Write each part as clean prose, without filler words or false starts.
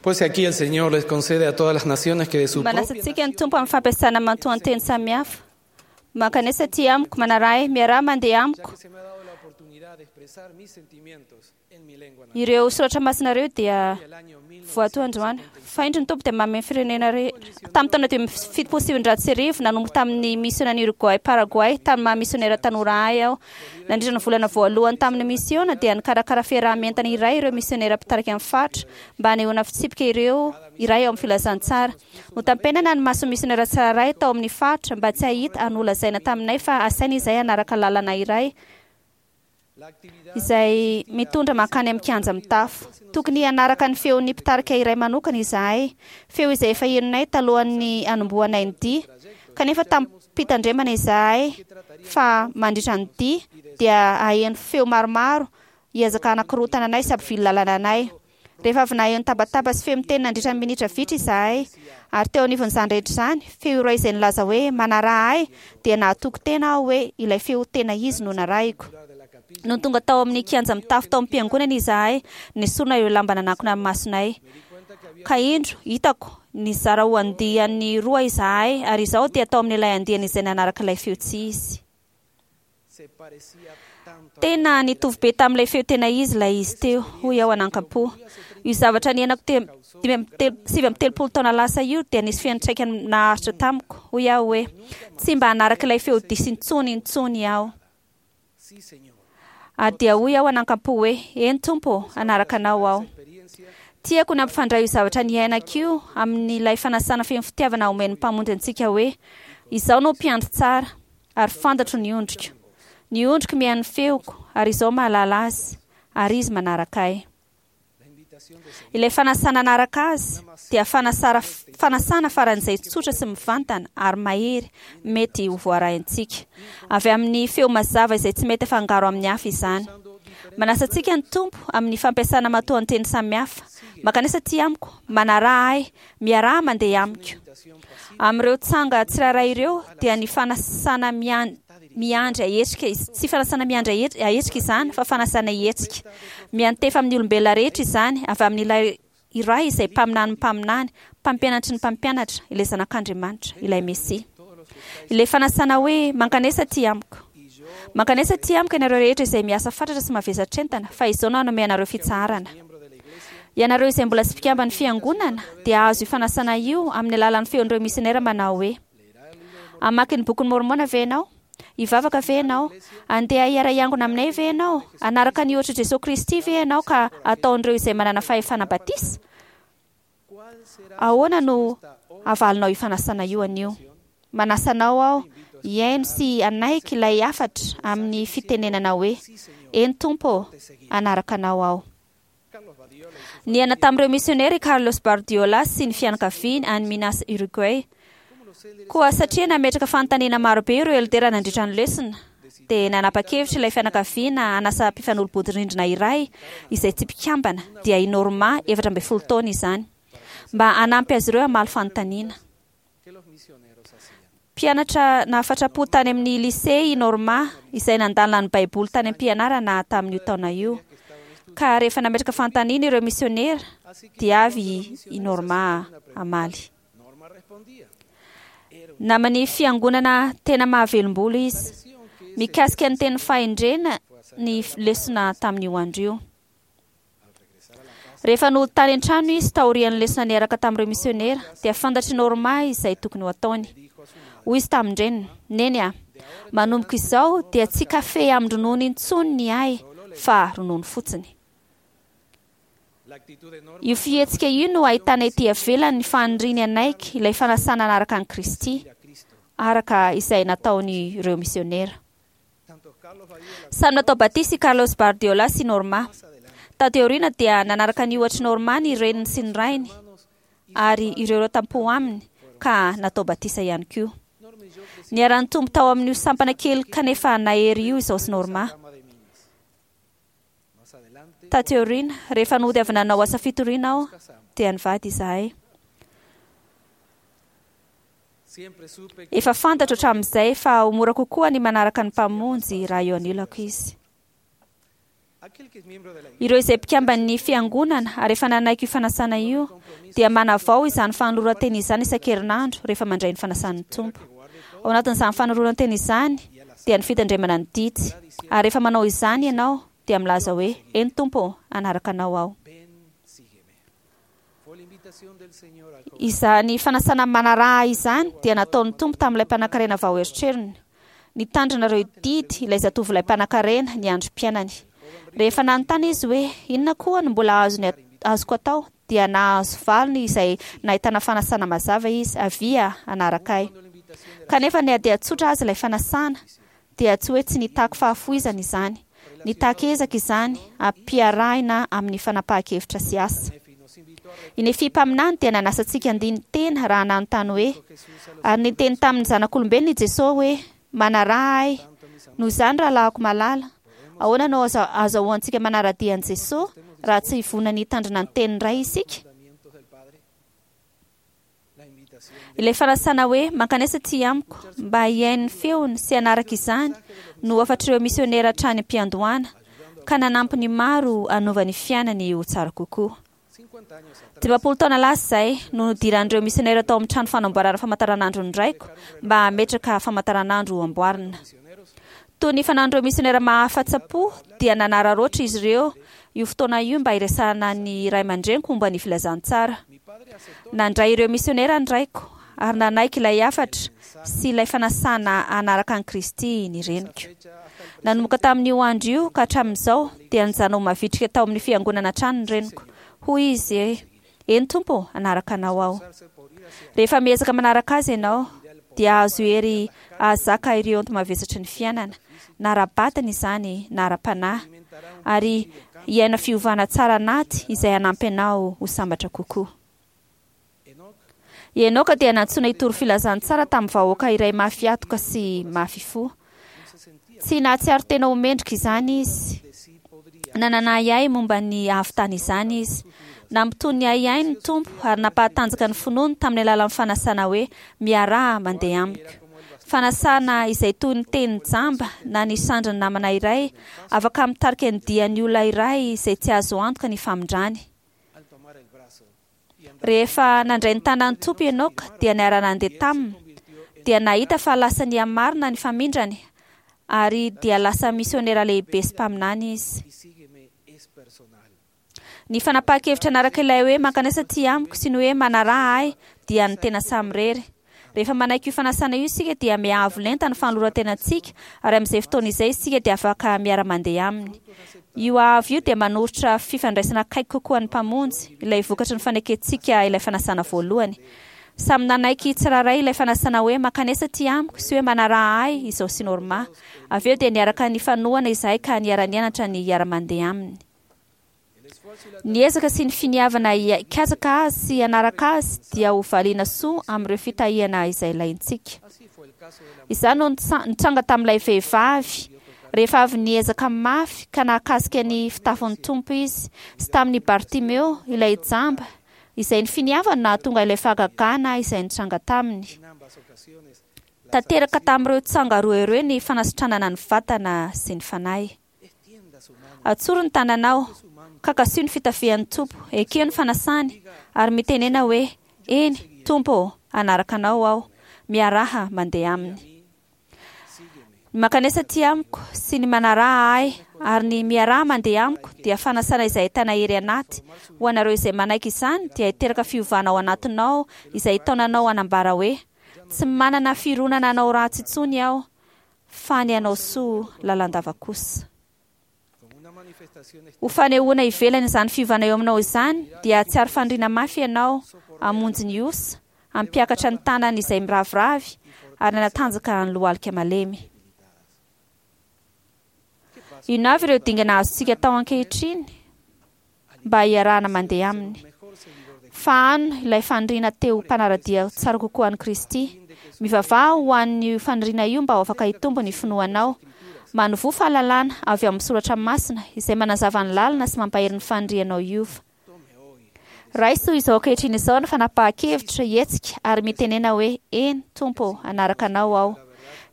Pues aquí el Señor les concede a todas las naciones que de su Manasa propia antsika ny Tompo amin'ny fampiasana matoanteny samihafa. Mankanesa aty amiko, manaraha ahy, miaraha mandeha amiko. que se me ha dado la oportunidad de expresar mis sentimientos en mi lengua natal. Ireo soratra masina ireo dia voato androany. Fa indro ny Tompo dia manome ny firenena rehetra. Tamin'ny taona 1975, nanomboka tamin'ny misionan'i Uruguay Paraguay, tamin'ny maha misionera tanora ahy aho. Nandritra ny volana voalohany tamin'ny misiona dia nikarakara fiaraha-mientana iray ireo misionera mpitarika ny faritra mba hanehoana fitsipika ireo iray ao amin'ny filazantsara. Notampenana ny mason'ny misionera tsirairay tao amin'ny faritra mba tsy hahita ary nolazaina taminay fa asaina izahay hanaraka lalana iray izay mitondra mankany amin'ny kianja mitafo. Tokony hanaraka ny feon'ny mpitarika iray manokana izahay, feo izay efa henonay talohan'ny hanombohanay ny dia, kanefa tamim-pitandremana izahay fa mandritra ny dia dia haheno feo maromaro hiezaka hanakorontana anay sy hampivily lalana anay. Rehefa avy naheno tabataba sy feo miteny nandritra ny minitra vitsy izahay, ary teo anivon'izany rehetra izany, feo iray izay nilaza hoe, Manaraha ahy, dia nahatoky tena aho hoe ilay feo tena izy no narahiko. Nony tonga tao amin'ny kianja mitafo tao am-piangonana izahay, nesorina ireo lamba nanakona ny masonay. Ka indro, hitako, nizara ho andiany roa izahay, ary izaho dia tao amin'ilay andiany izay nanaraka ilay feo tsy izy. Tena nitovy be tamin'ilay feo tena izy ilay izy teo, hoy aho anankampo. Io zavatra niainako 39 taona lasa io dia nisy fiantraikany naharitra tamiko, hoy aho hoe, Tsy mba hanaraka ilay feo diso intsony intsony aho. Ary dia hoy aho anankampo hoe, Eny Tompo ô, hanaraka Anao aho. Tiako ny hampifandray io zavatra niainako io amin'ilay fanasana feno fitiavana omen'ny Mpamonjy antsika hoe, Izaho no mpiandry tsara, ary fantatro ny ondriko. Ny ondriko mihaino ny feoko, ary izaho mahalala azy, ary izy manaraka ahy. Ilay fanasana hanaraka azy dia fanasara fanasana faran'izay tsotra sy mivantana ary mahery mety ho voaraintsika. Avy amin'ny feo mazava izay tsy mety afangaro amin'ny hafa izany. Manasa antsika ny Tompo amin'ny fampiasana matoanteny samihafa, Mankanesa aty amiko, manaraha ahy, miaraha mandeha amiko. Amin'ireo tsanga tsirairay ireo dia ny fanasana miandry ahetsika, tsy fanasana miandry ahetsika izany fa fanasana hihetsika. Miantefa amin'ny olombelona rehetra izany, avy amin'ilay iray izay mpaminanin'ny mpaminany, mpampianatry ny mpampianatra, ilay Zanak'Andriamanitra, ilay Mesia. Ilay fanasana hoe, Mankanesa aty amiko. Mankanesa aty amiko ianareo rehetra izay miasa fatratra sy mavesatr'entana, fa izao no hanome anareo fitsaharana. Ianareo izay mbola tsy mpikamban'ny Fiangonana dia hahazo io fanasana io amin'ny alalan'ny feon'ireo misionera manao hoe, Hamaky ny Bokin'i Môrmôna ve ianao? Hivavaka ve ianao? Handeha hiara-hiangona aminay ve ianao? Hanaraka ny ohatr'i Jesoa Kristy ve ianao ka hataon'ireo izay manana fahefana batisa? Ahoana no havalinao io fanasana io anio? Manasa anao aho hihaino sy hanaiky ilay hafatra amin'ny fitenenana hoe, Eny Tompo ô, hanaraka Anao aho. Niaina tamin'ireo misionera i Carlos Bardiola sy ny fianakaviany any Minas, Uruguay. Koa satria nametraka fanontaniana maro be ireo eldera nandritra ny lesona, dia nanapa-kevitra ilay fianakaviana hanasa mpifanolo-bodirindrina iray izay tsy mpikambana, dia i Norma, 14 taona izany, mba hanampy azy ireo hamaly fanontaniana. Mpianatra nahafatra-po tany amin'ny lycée i Norma, izay nandalina ny Baiboly tany am-pianarana tamin'io taona io. Ka rehefa nametraka fanontaniana ireo misionera, dia avy i Norma hamaly. Naman'ny fiangonana tena mahavelom-bolo izy. Mikasika ny teny fahendrena ny lesona tamin'io andro io. Rehefa nody tany an-trano izy taorian'ny lesona niaraka tamin'ireo misionera, dia fantatr'i Norma izay tokony ho ataony. Hoy izy tamin-dreniny, Neny a, manomboka izao dia tsy kafe amin-dronono intsony ny ahy fa ronono fotsiny. Io fihetsika io no ahitana ety ivelany ny faniriany hanaiky ilay fanasana hanaraka an'i Kristy, araka izay nataon'ireo misionera. Samy natao batisa i Carlos Bardiola sy Norma. Taty aoriana dia nanaraka ny ohatr'i Norma ny reniny sy ny rainy ary ireo ireo tam-po aminy ka natao batisa ihany koa. Niara-nitombo tao amin'io sampana kely kanefa nahery io izao sy Norma. Taty aoriana, rehefa nody avy nanao asa fitoriana aho, dia nivady izahay. Efa fantatro hatramin'izay fa ho mora kokoa ny manaraka ny Mpamonjy raha eo anilako Izy. Ireo izay mpikamban'ny fiangonana ary efa nanaiky io fanasana io dia manavao izany fanoloran-tena izany isan-kerinandro rehefa mandray ny fanasan'ny Tompo. Ao anatin'izany fanoloran-tena izany dia ny fitandremana ny didy, ary rehefa manao izany ianao dia milaza hoe, Eny Tompo ô, hanaraka Anao aho. Izany fanasana manaraha izany dia nataon'ny Tompo tamin'ilay mpanankarena vao eritreriny. Nitandrina ireo didy ilay zatovolahy mpanankarena ny androm-piainany. Rehefa nanontany izy hoe inona koa no mbola azony azoko atao dia nahazo valiny izay nahitana fanasana mazava izy, Avia hanaraka ahy. Kanefa na dia tsotra aza ilay fanasana dia tsy hoe tsy nitaky fahafoizana izany. Nitaky ezaka izany, ampiarahina amin'ny fanapahan-kevitra sy asa. I Nefia mpaminany dia nanasa antsika handini-tena raha nanontany hoe, Ary niteny tamin'ny zanak'olombelona i Jesoa hoe, Manaraha Ahy. Noho izany, rahalahiko malala, ahoana no azahoantsika manara-dia an'i Jesoa raha tsy vonona ny hitandrina ny tenin'ny Ray isika? Ilay fanasana hoe mankanesa aty amiko mba hihaino ny feony sy hanaraka izany no hafatr'ireo misionera hatrany am-piandohana, ka nanampy ny maro hanova ny fiainany ho tsara kokoa. 50 taona lasa izay no nidiran'ireo misionera tao amin'ny trano fanamboarana famantaranandro ny raiko mba hametraka famantaranandro ho amboarina. Toy ny fanaon'ireo misionera mahafa-tsapo dia nanararaotra izy ireo io fotoana io mba hiresahana ny ray aman-dreniko momba ny filazantsara. Nandray ireo misionera ny raiko ary nanaiky ilay hafatra sy ilay fanasana hanaraka an'i Kristy ny reniko. Nanomboka tamin'io andro io ka hatramin'izao dia nijanona ho mavitrika tao amin'ny fiangonana hatrany ny reniko. Hoy izy hoe, Eny Tompo ô, hanaraka Anao aho. Rehefa miezaka manaraka Azy ianao, dia hahazo hery hahazaka ireo enti-mavesatry ny fiainana, na ara-batana izany na ara-panahy, ary hiaina fiovana tsara anaty izay hanampy anao ho sambatra kokoa. I Enoka dia nantsoina hitory filazantsara tamin'ny vahoaka iray mafy hatoka sy mafy fo. Tsy nahatsiaro tena ho mendrika izany izy. Nanana ahiahy momba ny hahavitany izany izy. Nampitony ny ahiahiny ny Tompo ary nampahatanjaka ny finoany tamin'ny alalan'ny fanasana hoe, Miaraha mandeha amiko. Fanasana izay toy ny teny jamba na ny sandrin'ny namana iray, afaka mitarika ny dian'ny olona iray izay tsy azo antoka ny famindrany. Rehefa nandray ny tanan'ny Tompo i Enoka dia niara-nandeha taminy, dia nahita fa lasa nihamarina ny famindrany ary dia lasa misionera lehibe sy mpaminany izy. Ny fanapahan-kevitra hanaraka ilay hoe mankanesa aty amiko sy ny hoe manaraha ahy dia an'ny tena samirery. Rehefa manaiky io fanasana io isika dia miha-avo lenta ny fanoloran-tenantsika ary amin'izay fotoana izay isika dia afaka miara-mandeha Aminy. Io haavo io dia manoritra fifandraisana akaiky kokoa an'ny Mpamonjy, ilay vokatry ny fanekentsika ilay fanasana voalohany. Samy nanaiky tsirairay ilay fanasana hoe mankanesa aty amiko sy hoe manaraha ahy izao sy Norma. Avy eo dia niaraka nifanohana izahay ka niara-nianatra ny hiara-mandeha Aminy. Ny ezaka sy ny finiavana hikatsaka Azy sy hanaraka Azy dia ho valiana soa amin'ireo fitahiana izay ilaintsika. Izany no nitranga tamin'ilay vehivavy rehefa avy niezaka mafy ka nahakasika ny fitafin'ny Tompo izy, sy tamin'i Bartimeo, ilay jamba, izay ny finiavany nahatonga ilay fahagagana izay nitranga taminy. Tanteraka tamin'ireo tranga roa ireo ny fanasitranana ny vatana sy ny fanahy. Atsory ny tananao, ka kasiho ny fitafian'ny Tompo, ekeo ny fanasany, ary mitenena hoe, Eny, Tompo ô, hanaraka Anao aho. Miaraha mandeha Aminy. Ny mankanesa aty amiko, sy ny manaraha Ahy, ary ny miaraha mandeha amiko, dia fanasana izay ahitana hery anaty. Ho anareo izay manaiky izany, dia hiteraka fiovana ao anatinao izay hitaona anao hanambara hoe, Tsy manana fironana hanao ratsy intsony aho, fa ny hanao soa lalandava kosa. Ho fanehoana ivelany izany fiovana eo aminao izany, dia hahatsiaro faniriana mafy ianao hamonjy ny osa, hampiakatra ny tanany izay miraviravy, ary hanatanjaka ny lohalika malemy. Inona avy ireo dingana azontsika atao ankehitriny mba hiarahana mandeha aminy? Fahano ilay faniriana te ho mpanara-dia tsara kokoa an'i Kristy. Mivavaha ho an'io faniriana io mba ho afaka hitombo ny finoanao. Manovoa fahalalana avy ao amin'ny soratra masina izay manazava ny lalana sy mampahery ny fanirianao hiova. Raiso izao ankehitriny izao ny fanapahan-kevitra hihetsika ary mitenena hoe, Eny, Tompo ô, hanaraka Anao aho.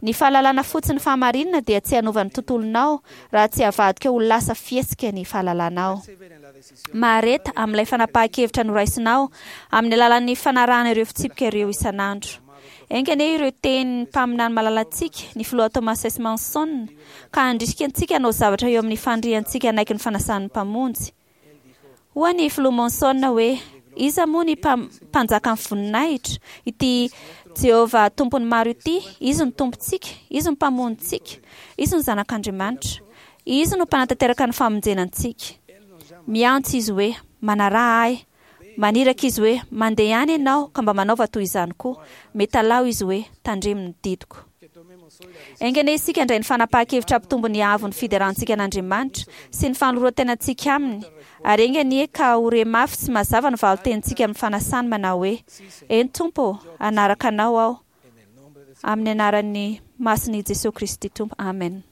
Ny fahalalana fotsiny fahamarinana dia tsy hanova ny tontolonao raha tsy avadika ho lasa fihetsika ny fahalalanao. Mahareta amin'ilay fanapahan-kevitra noraisinao amin'ny alalan'ny fanarahana ireo fitsipika ireo isan'andro. Enga anie ireo tenin'ny mpaminany malalantsika, ny Filoha Thomas S. Monson, ka handrisika antsika hanao zavatra eo amin'ny faniriantsika hanaiky ny fanasan'ny Mpamonjy. Hoy ny Filoha Monson hoe, Iza moa ny Mpanjakan'ny voninahitra? Ity Jehovah Tompon'ny maro ity, Izy no Tompontsika, Izy no Mpamonjintsika, Izy no Zanak'Andriamanitra. Izy no Mpanatanteraka ny famonjena antsika. Miantso Izy hoe, Manaraha Ahy. Maniraka Izy hoe, Mandehana ianao ka mba manaova toy izany koa. Mitalaho Izy hoe, Tandremo ny didiko. Enga anie isika handray ny fanapahan-kevitra hampitombo ny haavon'ny fiderantsika an'Andriamanitra sy ny fanoloran-tenantsika aminy, ary enga anie ka ho re mafy sy mazava ny valin-tenintsika amin'ny fanasany manao hoe, Eny Tompo ô, hanaraka Anao aho. Amin'ny anaran'ny masin'i Jesoa Kristy Tompo. Amen.